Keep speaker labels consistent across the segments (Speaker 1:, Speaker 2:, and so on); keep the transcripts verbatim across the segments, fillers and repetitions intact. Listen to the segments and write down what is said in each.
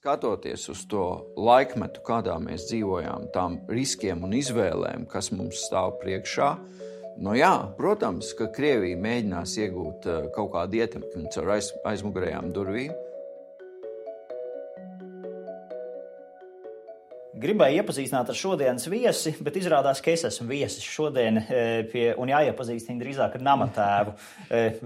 Speaker 1: Skatoties uz to laikmetu, kādā mēs dzīvojām, tām riskiem un izvēlēm, kas mums stāv priekšā, nu jā, protams, ka Krievija mēģinās iegūt kaut kādu ietekmi caur aiz, aizmugurējām durvīm.
Speaker 2: Gribēju iepazīstināt ar šodienas viesi, bet izrādās, ka es esmu viesis šodien pie, un jāiepazīstina drīzāk ar namatēvu.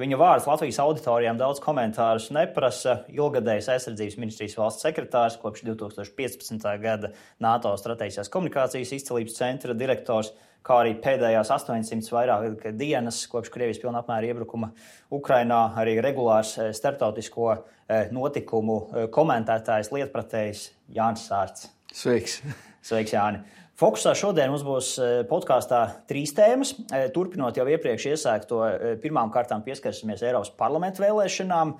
Speaker 2: Viņa vārds Latvijas auditorijām daudz komentārus neprasa. Ilgadējs aizsardzības ministrijas valsts sekretārs, kopš divi tūkstoši piecpadsmitā gada NATO strateģiskās komunikācijas izcelības centra direktors, kā arī pēdējās astoņsimt vairāk dienas, kopš Krievijas pilna apmēra iebrukuma Ukrainā, arī regulārs starptautisko notikumu komentētājs, lietpratējs Jānis Sārts.
Speaker 1: Sveiks!
Speaker 2: Sveiks, Jāni! Fokusā šodien mums būs podkāstā trīs tēmas. Turpinot jau iepriekš iesākto, pirmām kārtām pieskarsimies Eiropas parlamenta vēlēšanām,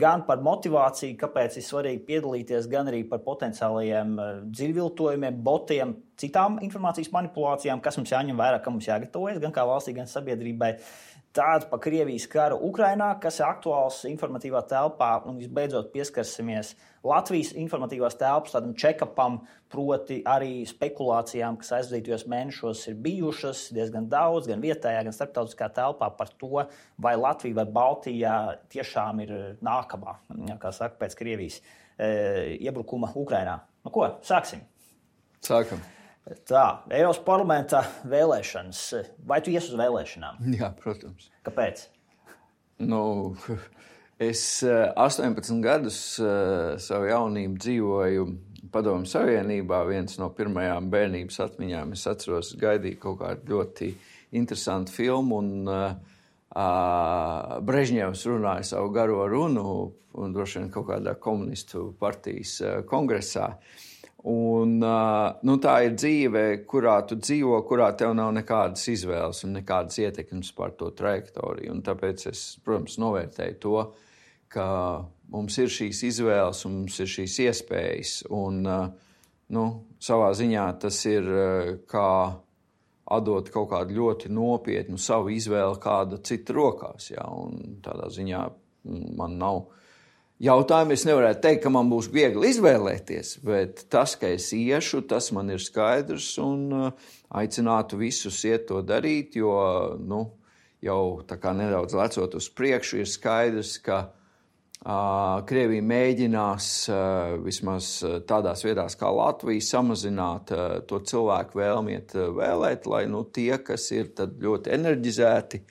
Speaker 2: gan par motivāciju, kāpēc ir svarīgi piedalīties, gan arī par potenciālajiem dziļviltojumiem, botiem, citām informācijas manipulācijām, kas mums jāņem vērā, kam mums jāgatavojas, gan kā valstī, gan sabiedrībai. Tāda pa Krievijas karu Ukrainā, kas ir aktuāls informatīvā telpā, un visbeidzot pieskarsimies Latvijas informatīvās telpas tādam check-upam, proti arī spekulācijām, kas aizdītajos mēnešos ir bijušas diezgan daudz, gan vietējā, gan starptautiskā telpā par to, vai Latvija vai Baltija tiešām ir nākamā, kā saka, pēc Krievijas e, iebrukuma Ukrainā. Nu ko, sāksim?
Speaker 1: Sākam.
Speaker 2: Tā, Eiropas parlamenta vēlēšanas. Vai tu ies uz vēlēšanām?
Speaker 1: Jā, protams.
Speaker 2: Kāpēc?
Speaker 1: Nu, es astoņpadsmit gadus savu jaunību dzīvoju Padomju Savienībā. Viens no pirmajām bērnības atmiņām, es atceros, gaidīju kaut kādu ļoti interesantu filmu, un uh, Brežņevs runāja savu garo runu, un droši vien kaut kādā komunistu partijas uh, kongresā. Un, nu, tā ir dzīve, kurā tu dzīvo, kurā tev nav nekādas izvēles un nekādas ietekmes par to trajektoriju. Un tāpēc es, protams, novērtēju to, ka mums ir šīs izvēles un mums ir šīs iespējas. Un, nu, savā ziņā tas ir kā atdot kaut kādu ļoti nopietnu savu izvēli kāda cita rokās. Jā, un tādā ziņā man nav jautājumu. Es nevarētu teikt, ka man būs viegli izvēlēties, bet tas, ka es iešu, tas man ir skaidrs, un aicinātu visus iet to darīt, jo nu, jau tā kā nedaudz lecot uz priekšu, ir skaidrs, ka uh, Krievija mēģinās uh, vismaz tādās vietās kā Latvija samazināt uh, to cilvēku vēlmiet uh, vēlēt, lai nu, tie, kas ir tad ļoti enerģizēti,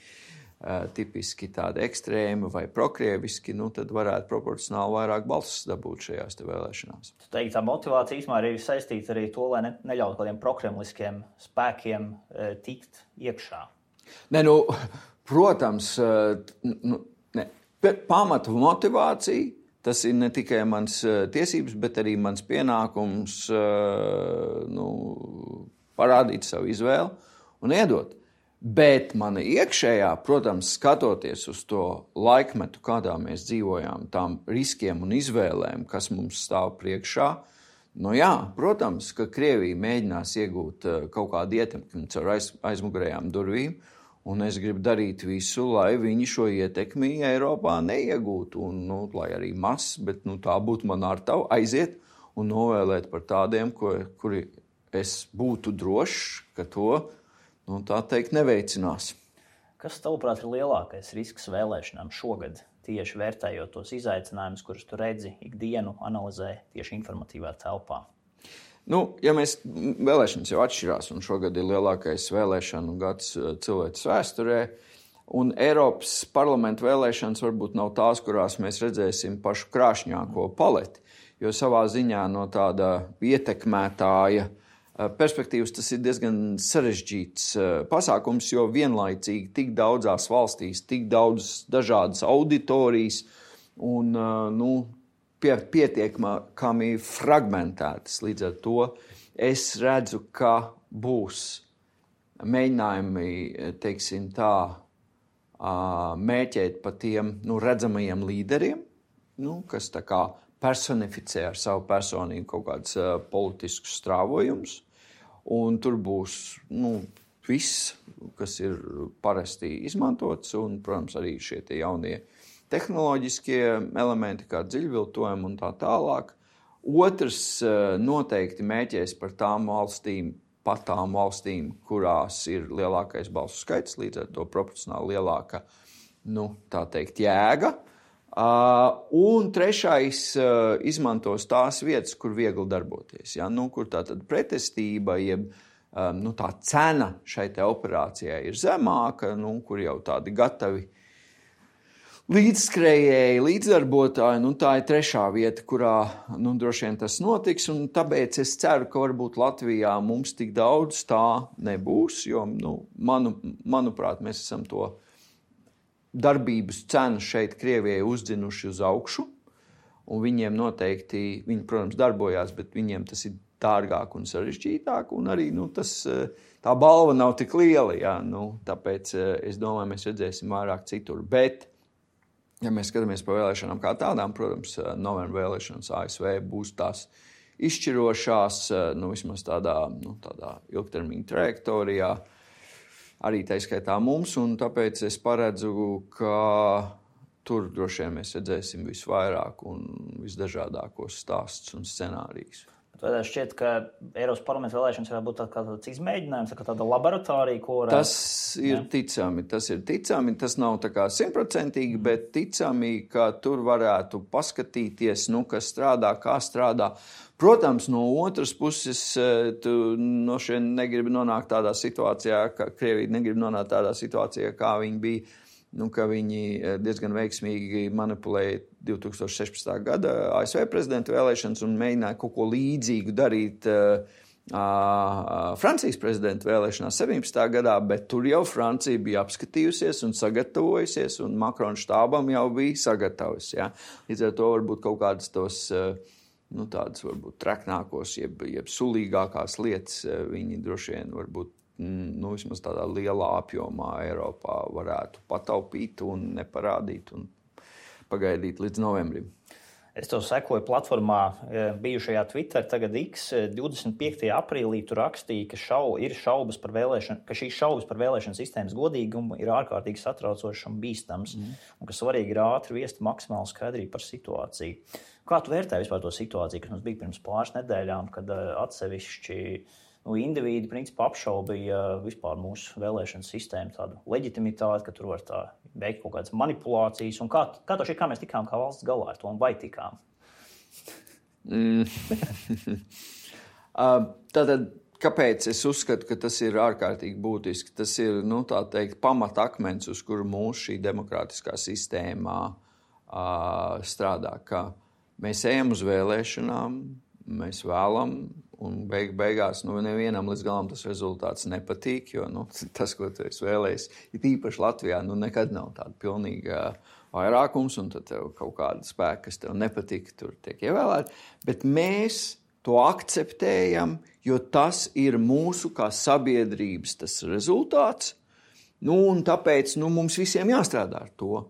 Speaker 1: Uh, tipiski tādi ekstrēmi vai prokrieviski, nu, tad varētu proporcionāli vairāk balsis dabūt šajās te vēlēšanās.
Speaker 2: Tu teiksi, tā motivācija īstenībā ir saistīta arī to, lai ne, neļautu kādiem prokremliskiem spēkiem e, tikt iekšā.
Speaker 1: Ne, nu, protams, nu, ne, pamatu motivācija, tas ir ne tikai mans tiesības, bet arī mans pienākums nu, parādīt savu izvēli un iedot. Bet mana iekšējā, protams, skatoties uz to laikmetu, kādā mēs dzīvojām, tām riskiem un izvēlēm, kas mums stāv priekšā, nu jā, protams, ka Krievija mēģinās iegūt kaut kādu ietekmi caur aiz, aizmugurējām durvīm, un es gribu darīt visu, lai viņi šo ietekmi Eiropā neiegūtu, un, nu, lai arī maz, bet nu, tā būtu man ar tavu aiziet un novēlēt par tādiem, ko, kuri es būtu drošs, ka to nu, tā teikt, neveicinās.
Speaker 2: Kas, tavuprāt, ir lielākais risks vēlēšanām šogad, tieši vērtējot tos izaicinājumus, kurus tu redzi ikdienu, analizē tieši informatīvā telpā?
Speaker 1: Nu, ja mēs vēlēšanas jau atšķirās, un šogad ir lielākais vēlēšanu gads cilvēces vēsturē, un Eiropas parlamenta vēlēšanas varbūt nav tās, kurās mēs redzēsim pašu krāšņāko paleti, jo savā ziņā no tāda ietekmētāja perspektīvas tas ir diezgan sarežģīts pasākums, jo vienlaicīgi tik daudzās valstīs, tik daudz dažādas auditorijas un nu, pie, pietiekami fragmentētas. Līdz ar to es redzu, ka būs mēģinājumi, teiksim tā, mēķēt pa tiem nu, redzamajiem līderiem, nu, kas tā kā personificē ar savu personību kaut kādus uh, politiskus strāvojumus, un tur būs nu, viss, kas ir parasti izmantots, un, protams, arī šie tie jaunie tehnoloģiskie elementi, kā dziļviltojumi un tā tālāk. Otrs noteikti mēķēs par tām valstīm, pat tām valstīm, kurās ir lielākais balsu skaits, līdz ar to proporcionāli lielāka, nu, tā teikt, jēga. Un trešais izmantos tās vietas, kur viegli darboties, ja? Nu, kur tā tad pretestība, jeb nu, tā cena šai te operācijai ir zemāka, nu, kur jau tādi gatavi līdzskrējēji, līdzdarbotāji, nu, tā ir trešā vieta, kurā nu, droši vien tas notiks, un tāpēc es ceru, ka varbūt Latvijā mums tik daudz tā nebūs, jo, nu, manu, manuprāt, mēs esam to darbības cenu šeit Krievijai uzdzinuši uz augšu, un viņiem noteikti, viņi, protams, darbojās, bet viņiem tas ir dārgāk un sarežģītāk, un arī nu, tas, tā balva nav tik liela, jā, nu, tāpēc es domāju, mēs redzēsim vairāk citur. Bet, ja mēs skatāmies pa vēlēšanām kā tādām, protams, novembra vēlēšanas A S V būs tās izšķirošās, nu, vismaz tādā, nu, tādā ilgtermiņa trajektorijā, arī tā skaitā mums, un tāpēc es paredzu, ka tur droši vien mēs redzēsim visvairāk un visdažādākos stāstus un scenārijus.
Speaker 2: Vai šķiet, ka Eiropas parlamenta vēlēšanas varētu būt tā kā tāds izmēģinājums, kā tāda laboratorija, ko varētu...
Speaker 1: Tas ir ja? ticami, tas ir ticami, tas nav tā kā simtprocentīgi, bet ticami, ka tur varētu paskatīties, nu, kas strādā, kā strādā. Protams, no otras puses, tu no šeit negribi nonākt tādā situācijā, ka Krievija negrib nonākt tādā situācijā, kā viņi bija, nu, ka viņi diezgan veiksmīgi manipulēja divi tūkstoši sešpadsmitā gada A S V prezidenta vēlēšanas un mēģināja kaut ko līdzīgu darīt uh, uh, Francijas prezidenta vēlēšanās septiņpadsmitā gadā, bet tur jau Francija bija apskatījusies un sagatavojusies, un Makrona štābam jau bija sagatavs. Ja? Līdz ar to varbūt kaut kādas tos, uh, nu, tādas varbūt treknākos, jeb, jeb sulīgākās lietas uh, viņi droši vien varbūt nu, vismaz tādā lielā apjomā Eiropā varētu pataupīt un neparādīt un pagaidīt līdz novembrim.
Speaker 2: Es to sekoju platformā bijušajā Twitter, tagad X, divdesmit piektajā aprīlī tu rakstīji, ka, šau, ir šaubas par vēlēšanu, ka šīs šaubas par vēlēšanu sistēmas godīgumu ir ārkārtīgi satraucošs un bīstams, mm. un ka svarīgi ir ātri viest maksimālu skaidrību par situāciju. Kā tu vērtē vispār to situāciju, kas mums bija pirms pāris nedēļām, kad atsevišķi nu, indivīdi principā apšaubīja vispār mūsu vēlēšanu sistēmu tādu leģitimitāti, ka tur var tā veikt kaut kādas manipulācijas, un kā, kā to šī, kā mēs tikām kā valsts galā ar to, un vai tikām?
Speaker 1: Mm. Tātad, kāpēc es uzskatu, ka tas ir ārkārtīgi būtiski? Tas ir, nu, tā teikt, pamatakmens, uz kuru mūsu šī demokrātiskā sistēmā uh, strādā, ka mēs ejam uz vēlēšanām, mēs vēlam, un beig, beigās nu, nevienam līdz galam tas rezultāts nepatīk, jo nu, tas, ko tu esi vēlējis, ir īpaši Latvijā, nu, nekad nav tāda pilnīga vairākums, un tad tev kaut kāda spēka, kas tev nepatīk, tur tiek ievēlēti. Bet mēs to akceptējam, jo tas ir mūsu kā sabiedrības tas rezultāts, nu, un tāpēc nu, mums visiem jāstrādā ar to.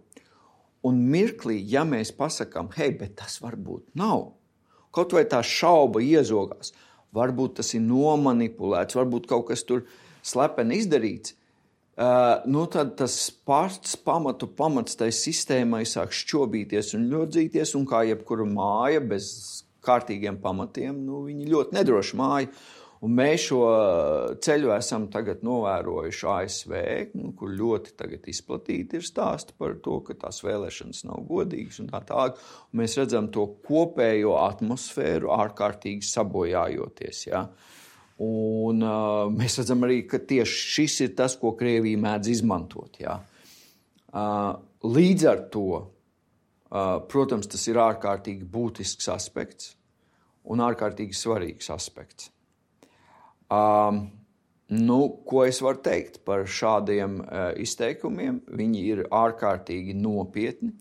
Speaker 1: Un mirklī, ja mēs pasakām, hei, bet tas varbūt nav, kaut vai tā šauba iezogās, varbūt tas ir nomanipulēts, varbūt kaut kas tur slepeni izdarīts, uh, nu tad tas pats pamatu pamats tai sistēmai sāk šķobīties un ļodzīties, un kā jebkura māja bez kārtīgiem pamatiem, nu viņi ļoti nedroši māja. Un mēs šo ceļu esam tagad novērojuši A S V, nu, kur ļoti tagad izplatīti ir stāsti par to, ka tās vēlēšanas nav godīgas un tā tālāk. Un mēs redzam to kopējo atmosfēru ārkārtīgi sabojājoties. Ja? Un uh, mēs redzam arī, ka tieši šis ir tas, ko Krievija mēdz izmantot. Ja? Uh, līdz ar to, uh, protams, tas ir ārkārtīgi būtisks aspekts un ārkārtīgi svarīgs aspekts. Um, nu, ko es varu teikt par šādiem uh, izteikumiem? Viņi ir ārkārtīgi nopietni.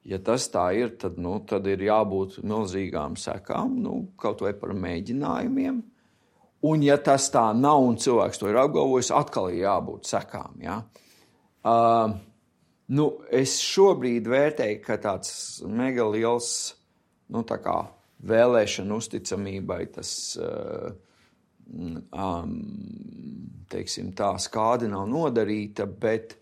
Speaker 1: Ja tas tā ir, tad, nu, tad ir jābūt milzīgām sekām, nu, kaut vai par mēģinājumiem. Un ja tas tā nav un cilvēks to ir apgalvojis, atkal ir jābūt sekām. Ja? Uh, nu, es šobrīd vērtēju, ka tāds mega liels, nu, tā kā vēlēšana uzticamībai tas... Uh, Um, teiksim tā, skāde nav nodarīta, bet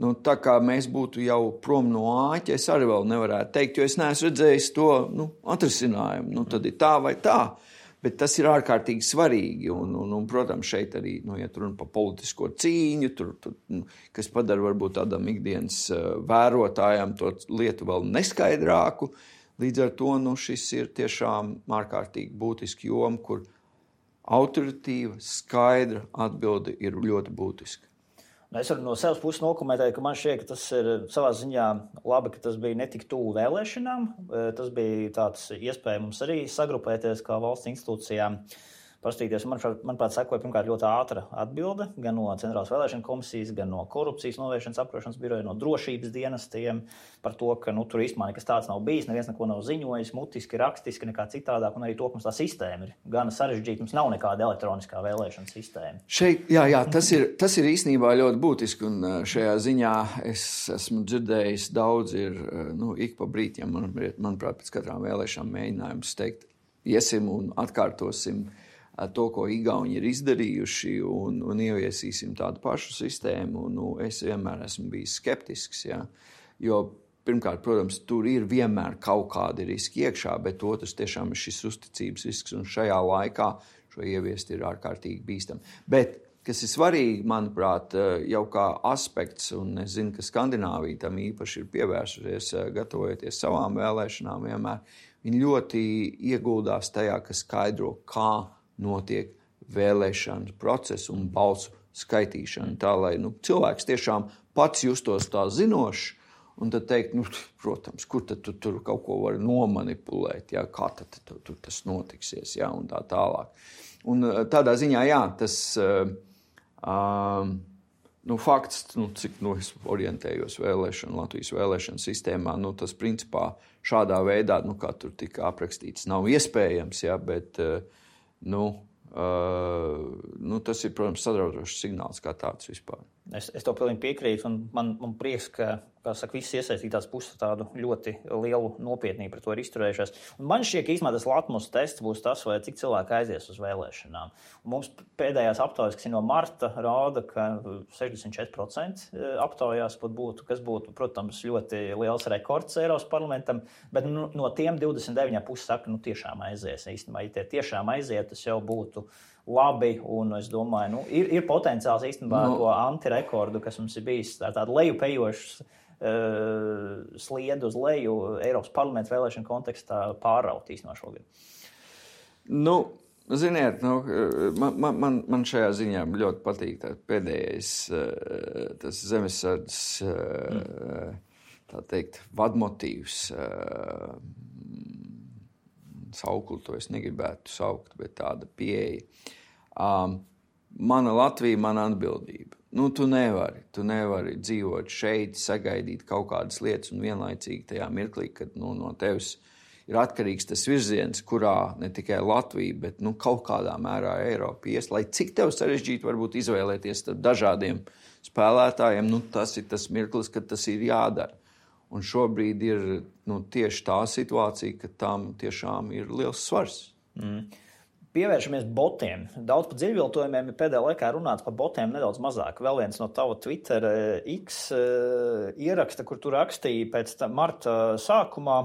Speaker 1: Nu, tā kā mēs būtu jau prom no āķa, es arī vēl nevarētu teikt, jo es neesmu redzējis to nu, atrisinājumu. Nu, tad ir tā vai tā, bet tas ir ārkārtīgi svarīgi. Un, un, un protams, šeit arī, nu, ja tur runa par politisko cīņu, tur, tur, nu, kas padara varbūt tādam ikdienas vērotājam to lietu vēl neskaidrāku. Līdz ar to nu, šis ir tiešām ārkārtīgi būtiski joma, kur autoritīva, skaidra atbilde ir ļoti būtiska.
Speaker 2: Es varu no savas puses nokomentēt, ka man šķiet, ka tas ir savā ziņā labi, ka tas bija ne tik tuvu vēlēšanām. Tas bija tāds iespējams arī sagrupēties kā valsts institūcijām. Pastīties, manuprāt, manuprāt, sekoja pirmkārt ļoti ātra atbilde gan no Centrālās vēlēšana komisijas, gan no korupcijas novēršanas apkarošanas biroja, no drošības dienestiem par to, ka nu, tur īstenībā nekas tāds nav bijis, neviens neko nav ziņojis, mutiski, rakstiski, nekā citādāk, un arī to, ka mums tā sistēma ir gana sarežģīta, mums nav nekāda elektroniskā vēlēšana sistēma.
Speaker 1: Šeit, jā, jā, tas ir, tas ir īstenībā ļoti būtiski, un šajā ziņā es esmu dzirdējis daudz, ir, nu, ik pa brītiem, man, manuprāt, pēc katrām vēlēšanām mēģinājums teikt, iesim un atkārtosim to, ko Igauni ir izdarījuši, un, un ieviesīsim tādu pašu sistēmu. Nu, es vienmēr esmu bijis skeptisks, ja? Jo pirmkārt, protams, tur ir vienmēr kaut kādi riski iekšā, bet otrs tiešām ir šis uzticības risks, un šajā laikā šo ieviest ir ārkārtīgi bīstami. Bet, kas ir svarīgi, manuprāt, jau kā aspekts, un es zinu, ka Skandināvija tam īpaši ir pievērsusies, gatavojoties savām vēlēšanām vienmēr, viņi ļoti ieguldās tajā, ka skaidro, kā notiek vēlēšanu procesu un balsu skaitīšana. Tā, lai nu, cilvēks tiešām pats justos tā zinošs, un tad teikt, nu, protams, kur tad tu tur kaut ko var nomanipulēt, ja, kā tad tu, tur tas notiksies, ja, un tā tālāk. Un tādā ziņā, jā, tas uh, uh, nu, fakts, nu, cik nu, es orientējos vēlēšanu, Latvijas vēlēšanu sistēmā, nu, tas principā šādā veidā, nu, kā tur tika aprakstīts, nav iespējams, ja, bet uh, Nu, uh, nu, tas ir, protams, satraucošs signāls kā tāds vispār.
Speaker 2: Es, es to pilnīgi piekrītu, un man, man prieks, ka, kā saka, visas iesaistītās puses tādu ļoti lielu nopietnību par to ir izturējušās. Un man šķiet, ka īstenībā tas latmus tests būs tas, vai cik cilvēki aizies uz vēlēšanām. Un mums pēdējās aptaujas, kas ir no marta, rāda, ka sešdesmit četri procenti aptaujās pat būtu, kas būtu, protams, ļoti liels rekords Eiropas parlamentam, bet nu, no tiem divdesmit deviņi puses saka, nu tiešām aizies. Īstenībā, ja tie tiešām aiziet, tas jau būtu labi, un es domāju, nu, ir, ir potenciāls īstenībā no. To antirekordu, kas mums ir bijis tā, tāda lejupējošs uh, sliedu uz leju Eiropas parlamenta vēlēšanu kontekstā pāraut īstenībā šogad.
Speaker 1: Nu, ziniet, nu, man, man, man šajā ziņā ļoti patīk tā pēdējais uh, tas zemesardzes uh, tā teikt, vadmotīvs. Uh, sauklu to es negribētu saukt, bet tāda pieeja. Um, mana Latvija, mana atbildība. Nu, tu nevari, tu nevari dzīvot šeit, sagaidīt kaut kādas lietas un vienlaicīgi tajā mirklī, kad nu, no tevis ir atkarīgs tas virziens, kurā ne tikai Latvija, bet nu, kaut kādā mērā Eiropa ies, lai cik tev sarežģīti varbūt izvēlēties starp dažādiem spēlētājiem, nu, tas ir tas mirklis, kad tas ir jādara. Un šobrīd ir nu, tieši tā situācija, ka tam tiešām ir liels svars.
Speaker 2: Mm. Pievēršamies botiem. Daudz par dziļviltojumiem ir pēdējā laikā runāts par botiem nedaudz mazāk. Vēl viens no tava Twitter X ieraksta, kur tu rakstīji pēc marta sākumā,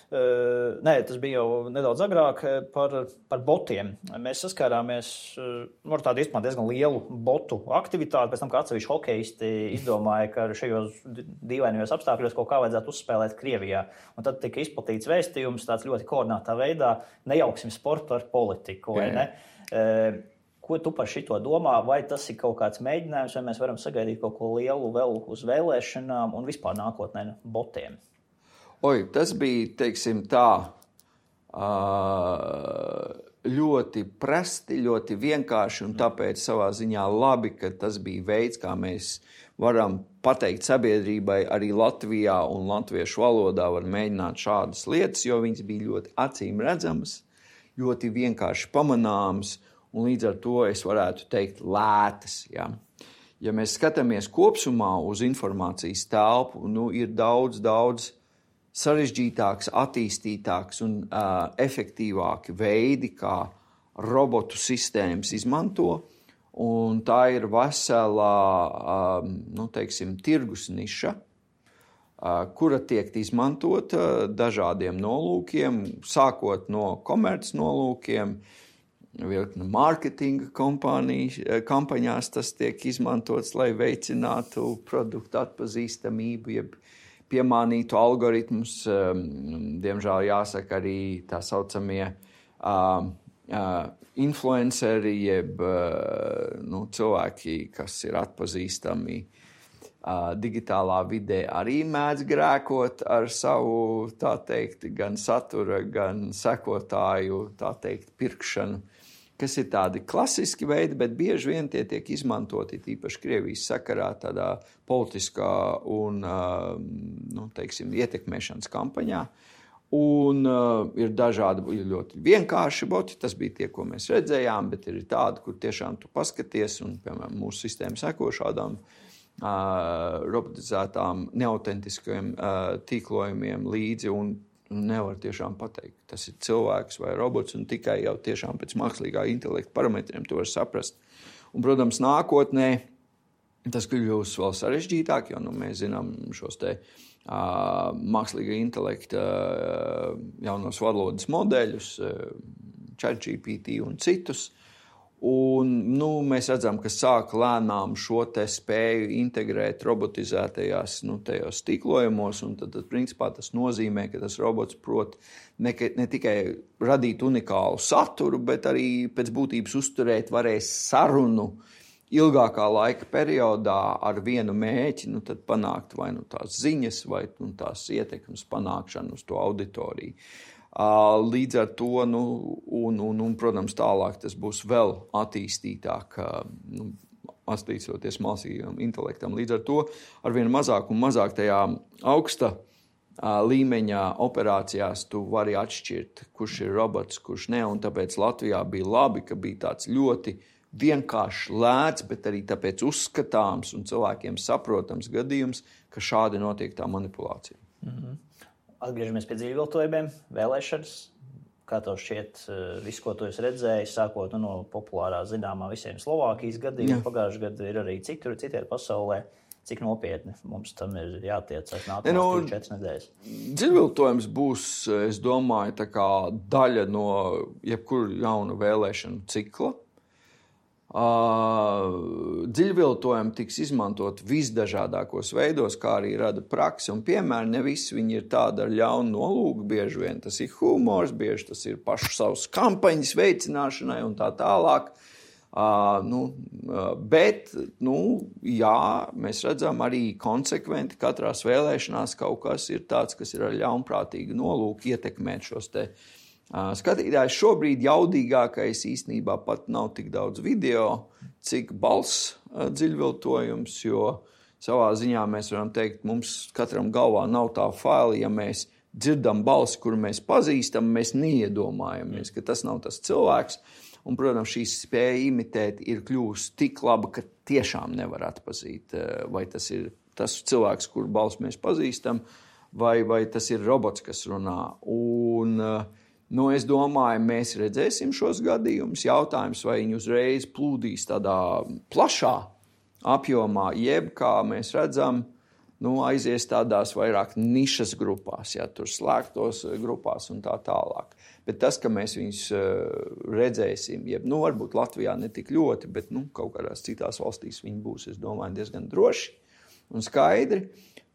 Speaker 2: nē, tas bija jau nedaudz agrāk, par, par botiem. Mēs saskārāmies ar tādu īstenībā diezgan lielu botu aktivitāti, pēc tam, kā atsevišķi hokeisti izdomāja, ka šajos dīvainajos apstākļos kaut kā vajadzētu uzspēlēt Krievijā. Un tad tika izplatīts vēstījums tāds ļoti koordinātā veidā, nejauksim sportu ar politiku. Vai ne? Ko tu par šito domā? Vai tas ir kaut kāds mēģinājums, vai mēs varam sagaidīt kaut ko lielu vēl uz vēlēšanām un vispār nākotnē botiem?
Speaker 1: Oi, tas bija, teiksim tā, ļoti prasti, ļoti vienkārši un tāpēc savā ziņā labi, ka tas bija veids, kā mēs varam pateikt sabiedrībai arī Latvijā un latviešu valodā var mēģināt šādas lietas, jo viņas bija ļoti acīm redzamas, ļoti vienkārši pamanāms, un līdz ar to es varētu teikt lētas. Ja, ja mēs skatāmies kopsumā uz informācijas telpu, nu, ir daudz, daudz sarežģītāks, attīstītāks un uh, efektīvāki veidi, kā robotu sistēmas izmanto, un tā ir veselā, nu, teiksim, tirgus niša, kura tiek izmantota dažādiem nolūkiem, sākot no komerc nolūkiem, mārketinga kampaņās tas tiek izmantots, lai veicinātu produktu atpazīstamību, jeb piemānītu algoritmus. Diemžēl jāsaka arī tā saucamie uh, uh, influenceri, jeb uh, nu, cilvēki, kas ir atpazīstami uh, digitālā vidē, arī mēdz grēkot ar savu, tā teikt, gan satura, gan sekotāju, tā teikt, pirkšanu, kas ir tādi klasiski veidi, bet bieži vien tie tiek izmantoti tīpaši Krievijas sakarā tādā politiskā un, nu, teiksim, ietekmēšanas kampaņā. Un uh, ir dažādi, ir ļoti vienkārši boti, tas bija tie, ko mēs redzējām, bet ir tādi, kur tiešām tu paskaties, un, piemēram, mūsu sistēma seko šādām uh, robotizētām, neautentiskajiem uh, tīklojumiem līdzi, un nevar tiešām pateikt, tas ir cilvēks vai robots, un tikai jau tiešām pēc mākslīgā intelekta parametriem to var saprast. Un, protams, nākotnē tas kļūs vēl sarežģītāk, jo nu, mēs zinām šos te uh, mākslīgā intelekta uh, jaunos valodas modeļus, uh, ChatGPT un citus. Un, nu, mēs redzam, ka sāk lēnām šo te spēju integrēt robotizētajās, nu, tajos tīklojumos, un tad, tad, principā, tas nozīmē, ka tas robots prot ne, ne tikai radīt unikālu saturu, bet arī pēc būtības uzturēt varēs sarunu ilgākā laika periodā ar vienu mēķi, nu, tad panākt vai nu tās ziņas, vai nu, tās ietekmes panākšanu uz to auditoriju. Līdz ar to, nu, un, un, un, protams, tālāk tas būs vēl attīstītāk, nu, attīstoties mākslīgam intelektam. Līdz ar to arvien mazāk un mazāk tajā augsta līmeņa operācijās tu vari atšķirt, kurš ir robots, kurš ne, un tāpēc Latvijā bija labi, ka bija tāds ļoti vienkārši lēts, bet arī tāpēc uzskatāms un cilvēkiem saprotams gadījums, ka šādi notiek tā manipulācija.
Speaker 2: Mm-hmm. Atgriežamies pie dzīvviltojumiem, vēlēšanas. Kā tev šķiet, viss, ko tu esi redzējis, sākot no populārā zināmā visiem Slovākijas gadījumiem, pagājušajā gadā ir arī citur, citiet pasaulē. Cik nopietni mums tam ir jātiecas nākamās no, četras nedēļas?
Speaker 1: Dzīvviltojums būs, es domāju, tā kā daļa no jebkura jauna vēlēšanu cikla. Uh, dziļviltojumi tiks izmantot visdažādākos veidos, kā arī rada praksi, un piemēram, ne visi viņi ir tādi ar ļaunu nolūku, bieži vien tas ir humors, bieži tas ir pašu savas kampaņas veicināšanai un tā tālāk. Uh, nu, uh, bet, nu, jā, mēs redzam arī konsekventi katrās vēlēšanās kaut kas ir tāds, kas ir ar ļaunprātīgu nolūku ietekmēt šos te skatītājs. Šobrīd jaudīgākais īstenībā pat nav tik daudz video, cik balss dziļviltojums, jo savā ziņā mēs varam teikt, mums katram galvā nav tā faila, ja mēs dzirdam balsi, kuru mēs pazīstam, mēs neiedomājamies, ka tas nav tas cilvēks. Un, protams, šī spēja imitēt ir kļūst tik laba, ka tiešām nevar atpazīt, vai tas ir tas cilvēks, kuru balsi mēs pazīstam, vai, vai tas ir robots, kas runā. Un nu, es domāju, mēs redzēsim šos gadījumus. Jautājums, vai viņi uzreiz plūdīs tādā plašā apjomā, jeb, kā mēs redzam, nu, aizies tādās vairāk nišas grupās, ja, tur slēgtos grupās un tā tālāk. Bet tas, ka mēs viņus redzēsim, jeb, nu, varbūt Latvijā ne tik ļoti, bet, nu, kaut kādās citās valstīs viņi būs, es domāju, diezgan droši un skaidri.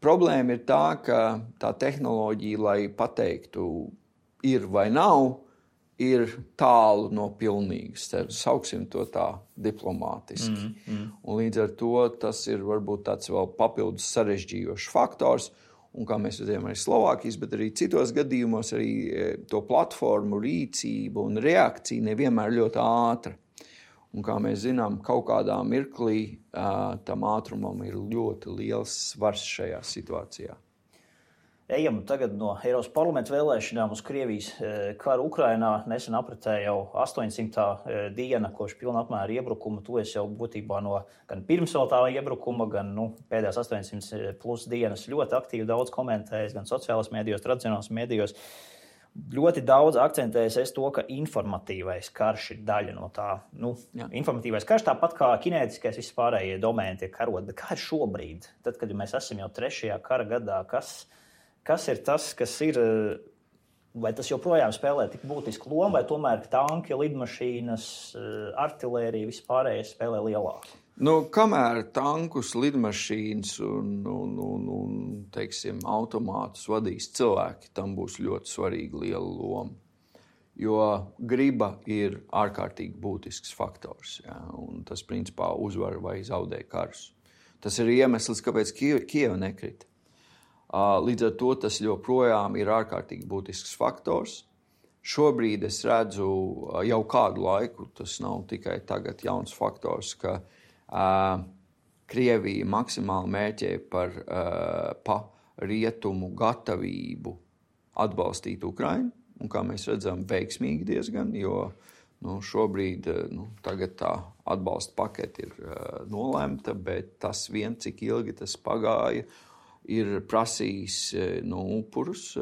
Speaker 1: Problēma ir tā, ka tā tehnoloģija, lai pateiktu, ir vai nav, ir tālu no pilnīgas. Sauksim to tā diplomātiski. Mm, mm. Un līdz ar to tas ir varbūt tāds vēl papildus sarežģījošs faktors. Un kā mēs redzējām arī Slovākijas, bet arī citos gadījumos arī to platformu rīcība un reakcija nevienmēr ļoti ātra. Un kā mēs zinām, kaut kādā mirklī tam ātrumam ir ļoti liels svars šajā situācijā.
Speaker 2: Ejam tagad no Eiropas parlamenta vēlēšanām uz Krievijas karu Ukrainā. Nesen apritēja jau astoņsimtā diena, kopš pilna apmēra iebrukuma. Tu esi jau būtībā no gan pirms vēl tā iebrukuma, gan nu, pēdējās astoņsimt plus dienas ļoti aktīvi daudz komentējis, gan sociālās mēdījos, tradicionālās mēdījos. ļoti daudz akcentējas to, ka informatīvais karš ir daļa no tā. Nu, Jā. Informatīvais karš tāpat kā kinētiskais vispārējie domēni tiek karot. Bet kā ir šobrīd? Tad, kad mēs esam jau trešajā kara gadā, kas, kas ir tas, kas ir... Vai tas joprojām spēlē tik būtisku lomu, vai tomēr tanki, lidmašīnas, artilērija vispārējais spēlē lielāku?
Speaker 1: Nu, kamēr tankus, lidmašīnas un, un, un, un teiksim, automātus vadīs cilvēki, tam būs ļoti svarīga liela loma. Jo griba ir ārkārtīgi būtisks faktors, ja, un tas principā uzvar vai zaudē karus. Tas ir iemesls, kāpēc Kieva nekrita. Līdz ar to tas joprojām ir ārkārtīgi būtisks faktors. Šobrīd es redzu jau kādu laiku, tas nav tikai tagad jauns faktors, ka uh, Krievija maksimāli mērķē par uh, pa rietumu gatavību atbalstīt Ukrainu. Un kā mēs redzam, veiksmīgi diezgan, jo nu, šobrīd nu, tagad tā atbalsta pakete ir uh, nolēmta, bet tas vien, cik ilgi tas pagāja, ir prasījis nu, upurus.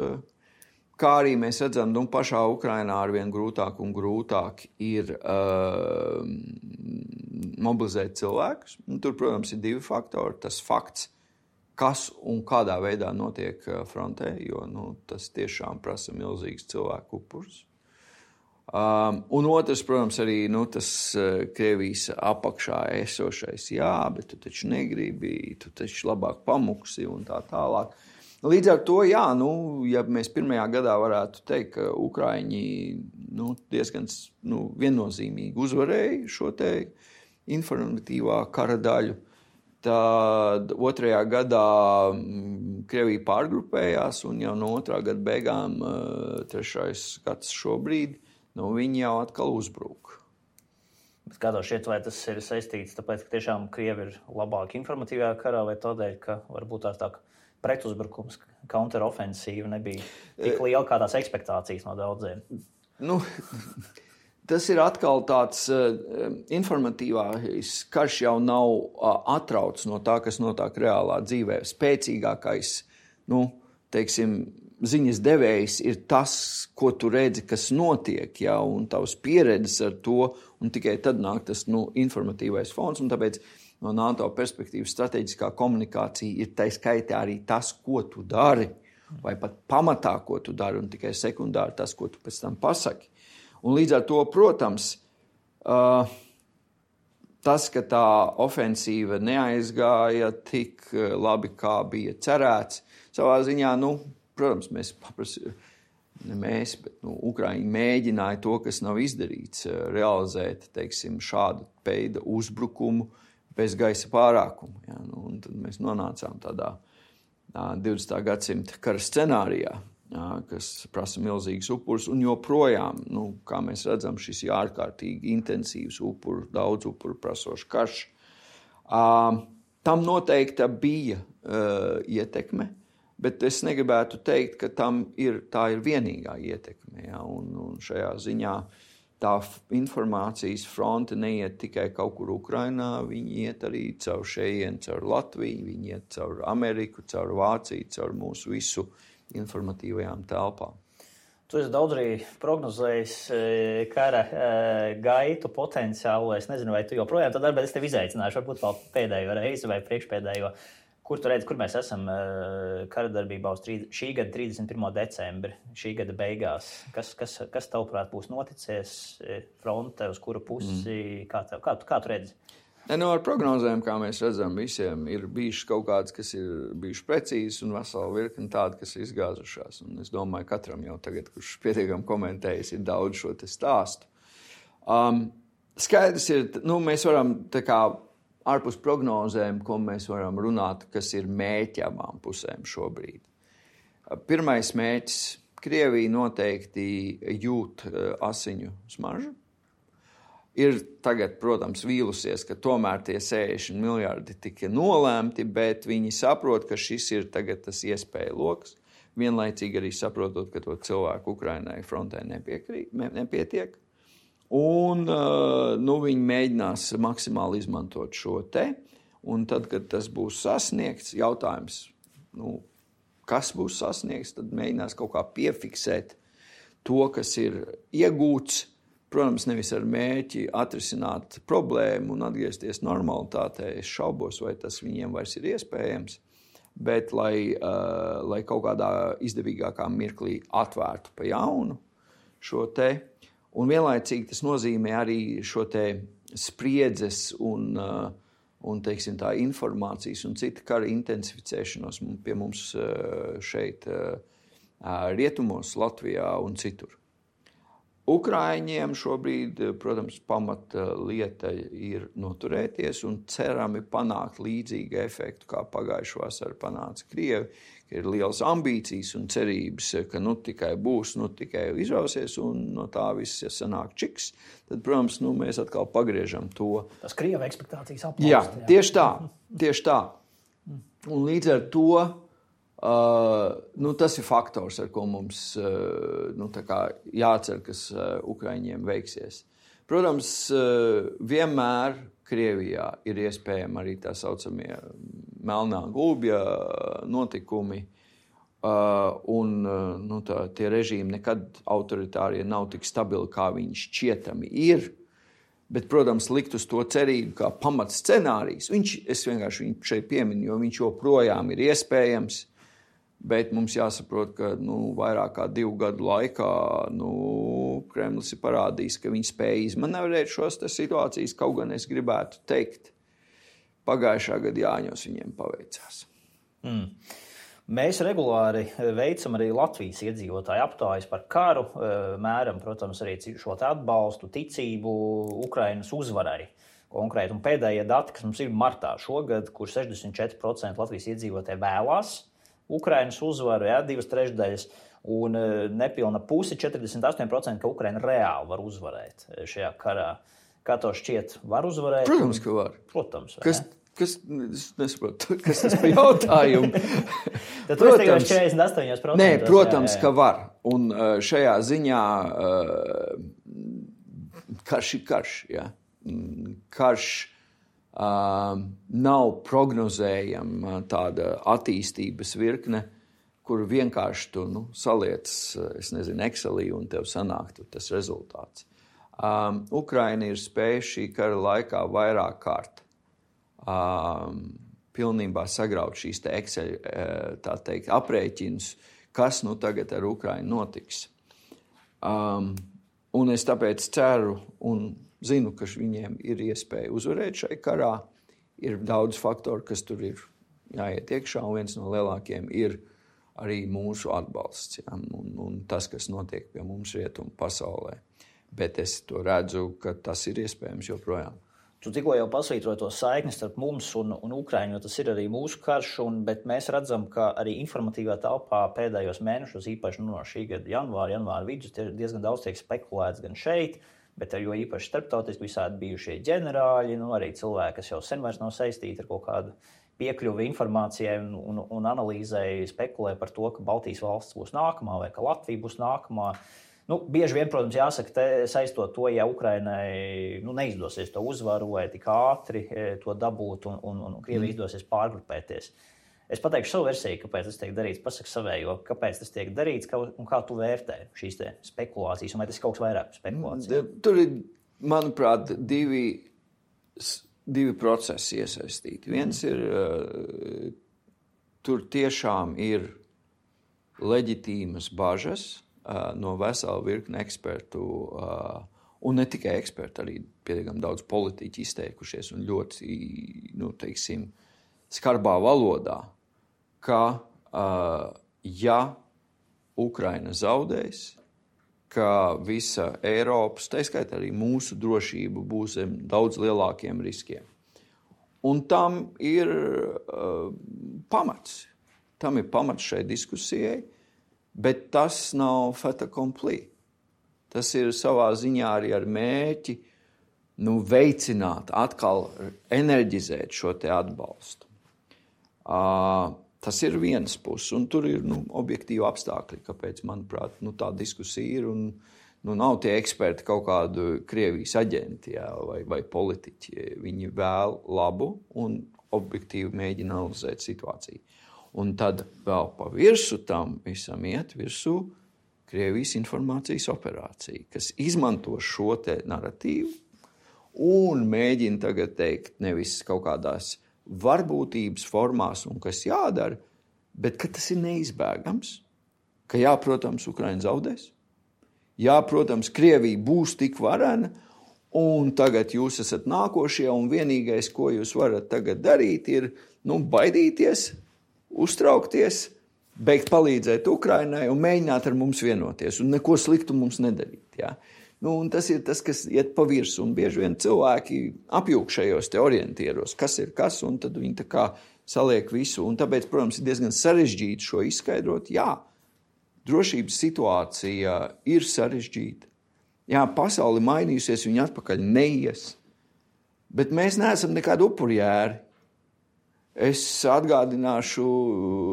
Speaker 1: Kā arī mēs redzam, nu, pašā Ukrainā arvien grūtāk un grūtāk ir uh, mobilizēt cilvēkus. Tur, protams, ir divi faktori. Tas fakts, kas un kādā veidā notiek frontē, jo nu, tas tiešām prasa milzīgs cilvēku upurus. Um, un otrs, protams, arī nu, tas uh, Krievijas apakšā esošais, jā, bet tu taču negribi, tu taču labāk pamuksi un tā tālāk. Līdz ar to, jā, nu, ja mēs pirmajā gadā varētu teikt, ka Ukraiņi nu, diezgan nu, viennozīmīgi uzvarēja šo te informatīvā kara daļu, tad otrajā gadā Krievija pārgrupējās un jau no otrā gada beigām uh, trešais gads šobrīd, nu, viņi jau atkal uzbrūk.
Speaker 2: Bet kā tev šķiet, vai tas ir saistīts, tāpēc, ka tiešām Krievi ir labāk informatīvajā karā, vai tādēļ, ka varbūt tās tā pretuzbrukums, counterofensīva nebija tik liela kā tās ekspektācijas no daudziem?
Speaker 1: Nu, tas ir atkal tāds uh, informatīvais karš jau nav uh, atrauts no tā, kas notiek reālā dzīvē. Spēcīgākais, nu, teiksim, ziņas devējs ir tas, ko tu redzi, kas notiek, ja, un tavs pieredzes ar to, un tikai tad nāk tas nu, informatīvais fons, un tāpēc no NATO perspektīvas strateģiskā komunikācija ir tai skaitā arī tas, ko tu dari, vai pat pamatā, ko tu dari, un tikai sekundāri tas, ko tu pēc tam pasaki. Un līdz ar to, protams, uh, tas, ka tā ofensīva neaizgāja tik labi, kā bija cerēts, savā ziņā, nu, protams, mēs paprasījām, ne mēs, bet nu, Ukraiņi mēģināja to, kas nav izdarīts, realizēt, teiksim, šādu veidu uzbrukumu bez gaisa pārākuma. Ja? Nu, un tad mēs nonācām tādā divdesmitā gadsimta kara scenārijā, ja, kas prasa milzīgas upurus, un joprojām, nu, kā mēs redzam, šis ir ārkārtīgi intensīvs upuru, daudz upuru prasošs karš. Uh, tam noteikti bija uh, ietekme, bet es negribētu teikt, ka tam ir, tā ir vienīgā ietekme. Ja? Un, un šajā ziņā tā informācijas fronte neiet tikai kaut kur Ukrainā, viņi iet arī caur šejienu, caur Latviju, viņi iet caur Ameriku, caur Vāciju, caur mūsu visu informatīvajām telpām.
Speaker 2: Tu esi daudz arī prognozējis kara gaitu potenciālu. Es nezinu, vai tu joprojām to dari, bet es tevi izaicināšu, varbūt vēl pēdējo reizi vai priekšpēdējo. Kur tu redzi, kur mēs esam kara darbībā uz šī gada trīsdesmit pirmo decembri, šī gada beigās? Kas, kas, kas tavuprāt būs noticies fronte, uz kuru pusi? Mm. Kā, tev, kā, kā tu redzi?
Speaker 1: Ne, no ar prognozēm, kā mēs redzam, visiem ir bijušas kaut kādas, kas ir bijušas precīzas un vesela virkni tādi, kas ir izgāzušās. Un es domāju, katram jau tagad, kurš pietiekami komentējis, ir daudz šo te stāstu. Um, skaidrs ir, nu, mēs varam tā kā ārpus prognozēm, ko mēs varam runāt, kas ir mērķi abām pusēm šobrīd. Pirmais mērķis – Krievija noteikti jūt asiņu smaržu. Ir tagad, protams, vīlusies, ka tomēr tie sešdesmit miljardi tika nolēmti, bet viņi saprot, ka šis ir tagad tas iespēja loks. Vienlaicīgi arī saprotot, ka to cilvēku Ukrainai frontē nepiekrīt, nepietiek. Un nu, viņi mēģinās maksimāli izmantot šo te, un tad, kad tas būs sasniegts, jautājums, nu, kas būs sasniegts, tad mēģinās kaut kā piefiksēt to, kas ir iegūts, protams, nevis ar mērķi atrisināt problēmu un atgriezties normalitātē. Es šaubos, vai tas viņiem vairs ir iespējams, bet lai, uh, lai kaut kādā izdevīgākā mirklī atvērtu pa jaunu šo te. Un vienlaicīgi tas nozīmē arī šo te spriedzes un, uh, un teiksim, tā informācijas un cita kara intensificēšanos pie mums uh, šeit uh, rietumos, Latvijā un citur. Ukraiņiem šobrīd, protams, pamata lieta ir noturēties un cerami panākt līdzīgu efektu, kā pagājušā vasarā panāca Krievi, ka ir liels ambīcijas un cerības, ka nu tikai būs, nu tikai izrausies un no tā viss, ja sanāk čiks, tad, protams, nu, mēs atkal pagriežam to.
Speaker 2: Tas Krieva ekspektācijas aplaust.
Speaker 1: Jā, tieši tā, tieši tā. Un līdz ar to Uh, nu, tas ir faktors, ar ko mums uh, nu, tā kā jācer, kas uh, Ukraiņiem veiksies. Protams, uh, vienmēr Krievijā ir iespējami arī tā saucamie melnā gulbja notikumi, uh, un uh, nu, tā, tie režīmi nekad autoritārie nav tik stabili, kā viņi šķietami ir. Bet, protams, likt uz to cerību kā pamat scenārijs. Viņš, es vienkārši viņu šeit pieminu, jo viņš joprojām ir iespējams. Bet mums jāsaprot, ka nu, vairāk kā divu gadu laikā nu, Kremlis ir parādījis, ka viņi spēja izmanevrēt šos situācijas, kaut gan es gribētu teikt, pagājušā gada Jāņos viņiem paveicās.
Speaker 2: Mm. Mēs regulāri veicam arī Latvijas iedzīvotāju aptājas par karu, mēram, protams, arī šo atbalstu, ticību Ukrainas uzvarai. Konkrēti, un pēdējie dati, kas mums ir martā šogad, kur sešdesmit četri procenti Latvijas iedzīvotāji vēlās Ukrainas uzvaru, jā, divas trešdaļas, un nepilna pusi, četrdesmit astoņi procenti, ka Ukraina reāli var uzvarēt šajā karā. Kā to šķiet, var uzvarēt?
Speaker 1: Protams, ka var.
Speaker 2: Protams,
Speaker 1: kas, kas, es nesaprotu, kas tas par jautājumu?
Speaker 2: Tad tu esi tikai četrdesmit astoņi procenti.
Speaker 1: Nē, protams, jā, jā. Ka var. Un šajā ziņā karš ir karš, jā. Karš Uh, nav prognozējama tāda attīstības virkne, kur vienkārši tu nu, saliec, es nezinu, Excelī un tev sanāktu tas rezultāts. Um, Ukraina ir spējusi šī kara laikā vairāk kārt um, pilnībā sagraut šīs te Excel, tā teikt, aprēķinus, kas nu tagad ar Ukrainu notiks. Um, un es tāpēc ceru un zinu, ka viņiem ir iespēja uzvarēt šai karā. Ir daudz faktoru, kas tur ir jāiet iekšā, un viens no lielākiem ir arī mūsu atbalsts. Ja? Un, un tas, kas notiek pie mums rietumu pasaulē. Bet es to redzu, ka tas ir iespējams joprojām.
Speaker 2: Tu tikko jau pasvītroji to saikni starp mums un, un Ukraiņu, jo tas ir arī mūsu karš, un, bet mēs redzam, ka arī informatīvā telpā pēdējos mēnešos, īpaši nu, no šī gada janvāra, janvāra vidus, diezgan daudz tiek spekulēts gan šeit, bet jo īpaši starptautiski visādi bijušie ģenerāļi, nu, arī cilvēki, kas jau sen vairs nav saistīti ar kaut kādu piekļuvi informācijai un, un, un analīzei, spekulē par to, ka Baltijas valsts būs nākamā vai ka Latvija būs nākamā. Nu, bieži vien, protams, jāsaka, te, saistot to, ja Ukrainai nu, neizdosies to uzvaru vai tik ātri to dabūt un, un, un Krievija izdosies pārgrupēties. Es pateikšu savu versiju, kāpēc tas tiek darīts, pasaka savējo, kāpēc tas tiek darīts un kā tu vērtē šīs te spekulācijas, un vai tas ir kaut kas vairāk spekulācija?
Speaker 1: Tur ir, manuprāt, divi, divi procesi iesaistīti. Viens ir, tur tiešām ir leģitīmas bažas no vesela virkne ekspertu, un ne tikai eksperti, arī pietiekami daudz politiķi izteikušies un ļoti, nu, teiksim, skarbā valodā, ka, uh, ja Ukraina zaudēs, ka visa Eiropas, tā skaitā arī mūsu drošība būs zem daudz lielākiem riskiem. Un tam ir uh, pamats. Tam ir pamats šai diskusijai, bet tas nav fait accompli. Tas ir savā ziņā arī ar mērķi nu, veicināt, atkal enerģizēt šo te atbalstu. Uh, tas ir viens puses, un tur ir nu, objektīvi apstākļi, kāpēc, manuprāt, nu, tā diskusija ir, un nu, nav tie eksperti kaut kādu Krievijas aģenti jā, vai, vai politiķi. Viņi vēl labu un objektīvi mēģina analizēt situāciju. Un tad vēl pa virsu tam visam iet virsū Krievijas informācijas operācija, kas izmanto šo te naratīvu un mēģina tagad teikt nevis kaut kādās varbūtības formās un kas jādara, bet ka tas ir neizbēgams, ka jā, protams, Ukraina zaudēs, jā, protams, Krievija būs tik varena, un tagad jūs esat nākošie, un vienīgais, ko jūs varat tagad darīt, ir nu, baidīties, uztraukties, beigt palīdzēt Ukrainai un mēģināt ar mums vienoties un neko sliktu mums nedarīt. Ja? Nu, un tas ir tas, kas iet pa virsu, un bieži vien cilvēki apjūk šajos te orientieros, kas ir kas, un tad viņi tā kā saliek visu. Un tāpēc, protams, ir diezgan sarežģīti šo izskaidrot. Jā, drošības situācija ir sarežģīta. Jā, pasauli mainījusies, viņi atpakaļ neies. Bet mēs neesam nekādi upurjēri. Es atgādināšu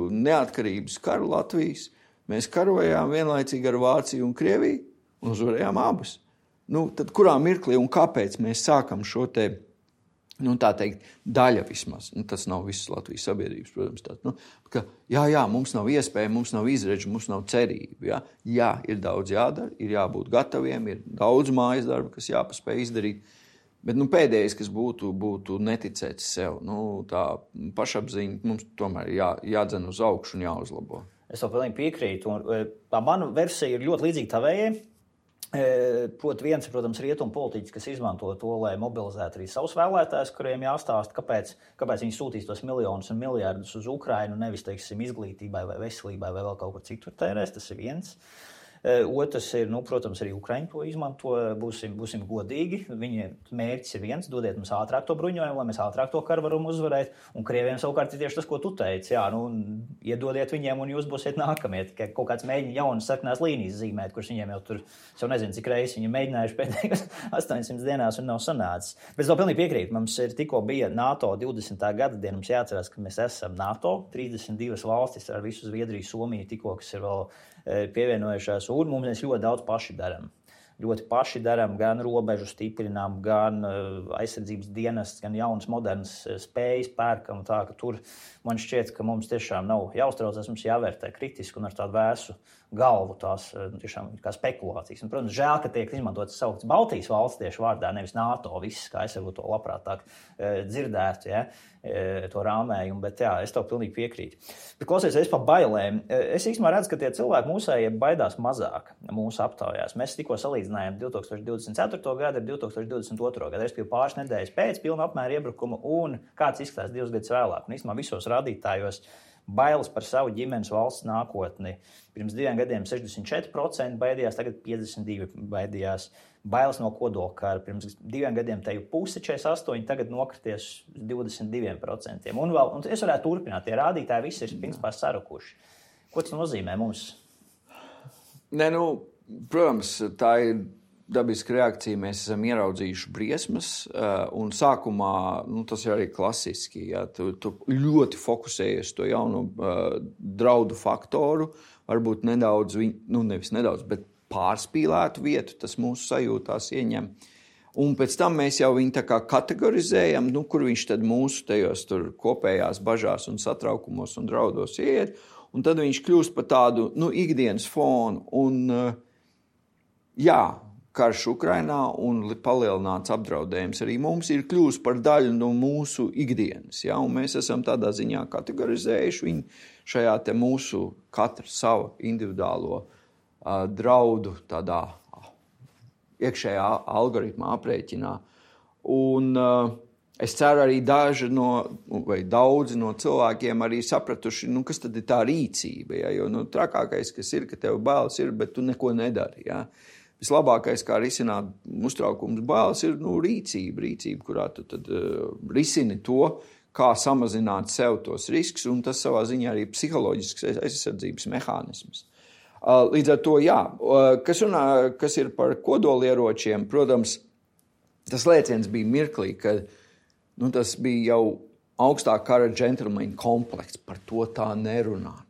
Speaker 1: neatkarības karu Latvijas. Mēs karojām vienlaicīgi ar Vāciju un Krieviju un uzvarējām abas. Nu, tad kurā mirklī un kāpēc mēs sākam šo te, nu tā teikt, daļa vismaz. Nu, tas nav visas Latvijas sabiedrības, protams. Tā, nu, ka, jā, jā, mums nav iespēja, mums nav izredzi, mums nav cerība. Jā, jā, ir daudz jādara, ir jābūt gataviem, ir daudz mājas darba, kas jāpaspēj izdarīt. Bet nu, pēdējais, kas būtu, būtu neticēts sev, nu, tā pašapziņa mums tomēr jā, jādzen uz augšu un jāuzlabo.
Speaker 2: Es to pilnīgi piekrītu. Un, tā mana versija ir ļoti līdzīga tavējai. Proti viens, protams, rietumu politiķis, kas izmanto to, lai mobilizētu arī savus vēlētājus, kuriem jāstāsta, kāpēc, kāpēc viņi sūtīs tos miljonus un miljardus uz Ukrainu, nevis, teiksim, izglītībai vai veselībai vai vēl kaut kur citur tērēs. Tas ir viens. Otrs ir, nu, protams, arī Ukraiņi to izmanto, būsim, būsim godīgi. Viņiem mērķis ir viens, dodiet mums ātrāk to bruņojumu, lai mēs ātrāk to karu varam uzvarēt. Un Krieviem savukārt ir tieši tas, ko tu teici. Jā, nu, iedodiet viņiem un jūs būsiet nākamie. Tikai kaut kāds mēģina jaunas sarkanās līnijas zīmēt, kurš viņiem jau tur, es jau nezinu, cik reizes viņi mēģinājuši pēdējās astoņsimt dienās un nav sanācis. Bet es to pilnīgi piekrītu. Mums ir tikko bija NATO divdesmitā gada diena. Mums jāatcerās, ka mēs esam NATO. trīsdesmit divas valstis ar visu Zviedriju, Somiju tikko, kas ir vēl pievienojušās, un mums mēs ļoti daudz paši darām. Ļoti paši darām, gan robežu stiprinām, gan aizsardzības dienestus, gan jaunas, modernas spējas pērkam. Tā, ka tur man šķiet, ka mums tiešām nav jāuztraucās, mums jāvērtē kritiski un ar tādu vēsu galvu tās tiešām kā spekulācijas. Un, protams, žēl, ka tiek izmantotas sauktas Baltijas valsts tieši vārdā, nevis NATO, viss, kā es varbūt to labprātāk dzirdētu, ja, to rāmējumu, bet jā, es to pilnīgi piekrītu. Bet klausies, es par bailēm. Es īstenībā redzu, ka tie cilvēki mūsējie baidās mazāk mūsu aptaujās. Mēs tikko salīdzinājām divtūkstoš divdesmit ceturto gadu ar divtūkstoš divdesmit otro gadu. Es biju pāris nedēļas pēc pilna apmēra iebrukuma un kāds izskatās divus gadus vēlāk. Un īstenībā visos rādītājos bailes par savu ģimenes valsts nākotni. Pirms diviem gadiem sešdesmit četri procenti baidījās, tagad piecdesmit divi procenti baidījās. Bailes no kodolkara. Pirms diviem gadiem te jau pusi četrdesmit astoņi, tagad nokrities divdesmit divi procenti. Un, vēl, un es varētu turpināt, tie rādītāji visi ir principā sarukuši. Ko tas nozīmē mums?
Speaker 1: Ne, nu, protams, tā ir dabiska reakcija. Mēs esam ieraudzījuši briesmas, un sākumā, nu, tas ir arī klasiski, ja, tu, tu ļoti fokusējies to jaunu uh, draudu faktoru, varbūt nedaudz, nu, nevis nedaudz, bet pārspīlētu vietu, tas mūsu sajūtās ieņem. Un pēc tam mēs jau viņu tā kā kategorizējam, nu, kur viņš tad mūsu tajos tur kopējās bažās un satraukumos un draudos iet, un tad viņš kļūst par tādu, nu, ikdienas fonu. Un, uh, jā, karš Ukrainā un palielināts apdraudējums arī mums ir kļūst par daļu no mūsu ikdienas. Ja? Un mēs esam tādā ziņā kategorizējuši viņu šajā te mūsu katra sava individuālo uh, draudu tādā uh, iekšējā algoritmā aprēķinā. Un uh, es ceru arī daži no, vai daudzi no cilvēkiem arī sapratuši, nu, kas tad ir tā rīcība. Ja? Jo nu, trakākais, kas ir, ka tev bailes ir, bet tu neko nedari. Ja? Vislabākais, kā risināt uztraukums bailes, ir nu, rīcība, rīcība, kurā tu tad uh, risini to, kā samazināt sev tos riskus, un tas savā ziņā arī psiholoģisks aizsardzības mehānisms. Uh, līdz ar to, jā, uh, kas, runā, kas ir par kodolieročiem, protams, tas lēciens bija mirklī, kad nu, tas bija jau augstā kara džentlmeņa komplekts, par to tā nerunāt.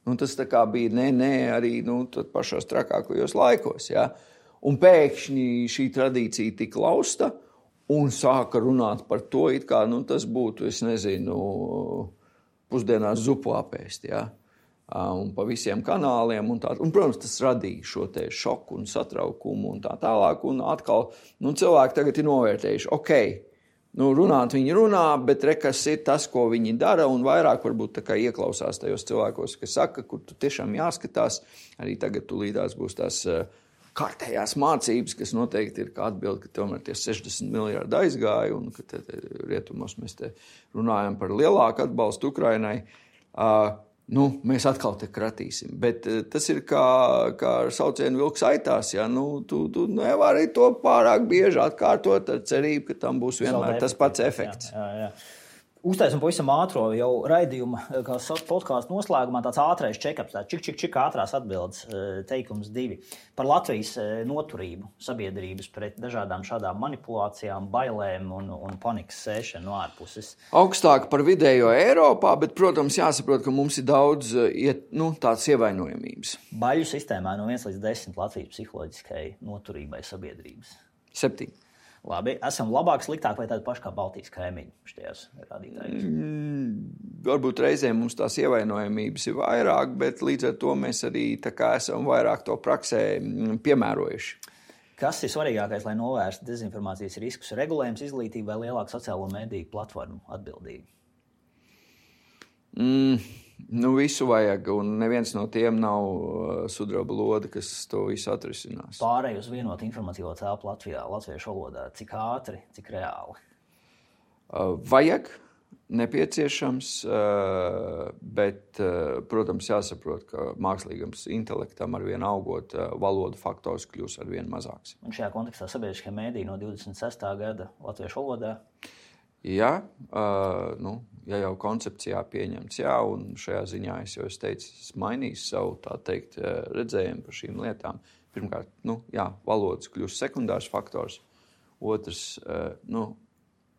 Speaker 1: Un tas tā kā bija nē, nē, arī nu, pašos trakākajos laikos. Ja? Un pēkšņi šī tradīcija tika lausta un sāka runāt par to, it kā nu, tas būtu, es nezinu, pusdienās zupu apēst. Ja? un pa visiem kanāliem. Un tā, un, protams, tas radīja šo te šoku un satraukumu un tā tālāk. Un atkal nu, cilvēki tagad ir novērtējuši, ok, nu, runāt viņi runā, bet re, kas ir tas, ko viņi dara, un vairāk varbūt tā kā ieklausās tajos cilvēkos, kas saka, kur tu tiešām jāskatās. Arī tagad tu līdās būs tās kārtējās mācības, kas noteikti ir kā atbildi, ka tomēr tie sešdesmit miljardi aizgāja, un ka te, te, rietumos mēs te runājam par lielāku atbalstu Ukrainai. Uh, nu, mēs atkal te kratīsim. Bet uh, tas ir kā, kā ar saucienu vilks aitās. Ja? Nu, tu, tu nevari to pārāk bieži atkārtot ar cerību, ka tam būs vienmēr tas pats efekts.
Speaker 2: Jā, jā, jā. Uztaisim pavisam ātro jau raidījuma, kā podkāstu noslēgumā, tāds ātrais check-ups, tā čik, čik, čik ātrās atbildes, teikums divi. Par Latvijas noturību sabiedrības pret dažādām šādām manipulācijām, bailēm un, un panikas sēšanu no ārpuses.
Speaker 1: Augstāk par vidējo Eiropā, bet, protams, jāsaprot, ka mums ir daudz iet, nu, tāds ievainojamības.
Speaker 2: Baļu sistēmā no viens līdz desmit Latvijas psiholoģiskai noturībai sabiedrības.
Speaker 1: Septiņi.
Speaker 2: Labi, esam labāk, sliktāk vai tādi paši kā Baltijas kaimiņi štajās rādītājos?
Speaker 1: Mm, varbūt reizēm mums tās ievainojamības ir vairāk, bet līdz ar to mēs arī tā kā esam vairāk to praksē piemērojuši.
Speaker 2: Kas ir svarīgākais, lai novērstu dezinformācijas riskus? Regulējums, izglītība vai lielāka sociālo mediju platformu atbildība?
Speaker 1: Mm, nu visu vajag, un neviens no tiem nav uh, sudraba lode, kas to visu atrisinās.
Speaker 2: Pārēj uz vienotu informatīvo telpu Latvijā, latviešu valodā, cik ātri, cik reāli?
Speaker 1: Uh, vajag, nepieciešams, uh, bet, uh, protams, jāsaprot, ka mākslīgam intelektam ar vien augot uh, valodu faktors kļūs ar vien mazāks.
Speaker 2: Un šajā kontekstā sabiedriskie mēdī no divdesmit sestā gada latviešu valodā?
Speaker 1: Jā, uh, nu, ja jau koncepcijā pieņemts, jā, un šajā ziņā es jau es teicu, es mainīju savu, tā teikt, redzējumu par šīm lietām. Pirmkārt, nu, jā, valodas kļūst sekundārs faktors. Otrs, uh, nu,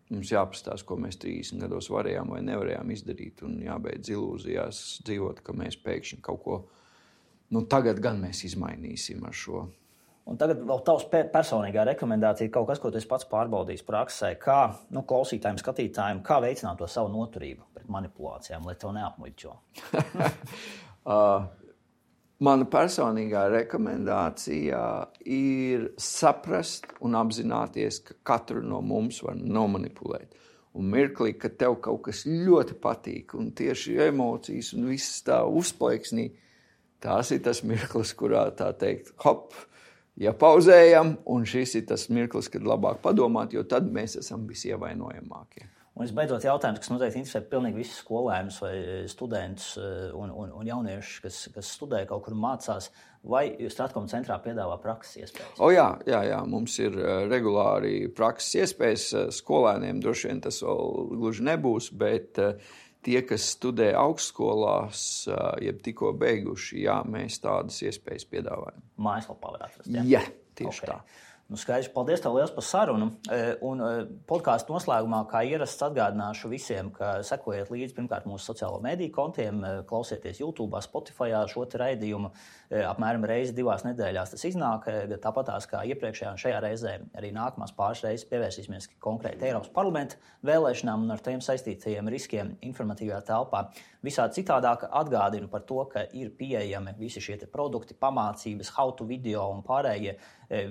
Speaker 1: mums jāpastās, ko mēs trīsdesmit gados varējām vai nevarējām izdarīt, un jābeidz ilūzijās dzīvot, ka mēs pēkšņi kaut ko, nu, tagad gan mēs izmainīsim ar šo.
Speaker 2: Un tagad vēl tavs personīgā rekomendācija ir kaut kas, ko tu esi pats pārbaudījis praksē, kā nu, klausītājiem, skatītājiem, kā veicināt to savu noturību pret manipulācijām, lai tev neapmuļķo.
Speaker 1: uh, mana personīgā rekomendācija ir saprast un apzināties, ka katru no mums var nomanipulēt. Un mirklī, ka tev kaut kas ļoti patīk, un tieši emocijas un viss tā uzplaiksnī, tās ir tas mirklis, kurā tā teikt, hop, ja pauzējam, un šis ir tas mirklis, kad labāk padomāt, jo tad mēs esam visievainojamākie.
Speaker 2: Un visbeidzot jautājums, kas noteikti interesē pilnīgi visus skolēnus vai studentus un, un, un jauniešus, kas, kas studē kaut kur mācās, vai Stratkom centrā piedāvā prakses iespējas?
Speaker 1: O jā, jā, jā, mums ir regulāri prakses iespējas. Skolēniem droši vien tas vēl gluži nebūs, bet tie, kas studē augstskolās, jeb tikko beiguši, jā, mēs tādas iespējas piedāvājam.
Speaker 2: Mājaslapā var atrast, jā?
Speaker 1: Jā, tieši
Speaker 2: okay.
Speaker 1: tā.
Speaker 2: Nu, skaidrs, paldies tev liels par sarunu. Un podkāstu noslēgumā, kā ierasts, atgādināšu visiem, ka sekojiet līdzi pirmkārt mūsu sociālo mediju kontiem, klausieties YouTube, Spotify šo te raidījumu. Apmēram reizi divās nedēļās tas iznāk. Tāpatās kā iepriekšējā un šajā reizē arī nākamās pāris reizes pievērsīsimies konkrēti Eiropas parlamenta vēlēšanām un ar tiem saistītajiem riskiem informatīvajā telpā. Visādi citādāk atgādinu par to, ka ir pieejami visi šie te produkti, pamācības, how to video un pārējie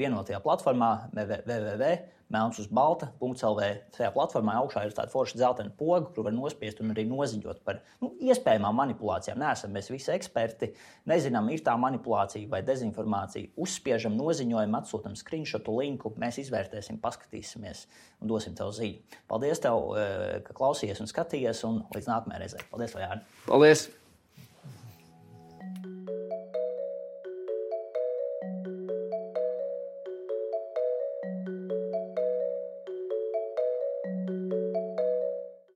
Speaker 2: vienotajā platformā w w w punktu melns uz balta punktu l v. Tajā platformā augšā ir tāda forša dzeltena poga, kur var nospiest un arī noziņot par nu, iespējamām manipulācijām. Neesam mēs visi eksperti, nezinām, ir tā manipulācija vai dezinformācija. Uzspiežam, noziņojam, atsūtam screenshotu linku, mēs izvērtēsim, paskatīsimies un dosim tev ziņu. Paldies tev, ka klausījies un skatījies, un līdz nākamajai reizei. Paldies, Jāni.
Speaker 1: Paldies!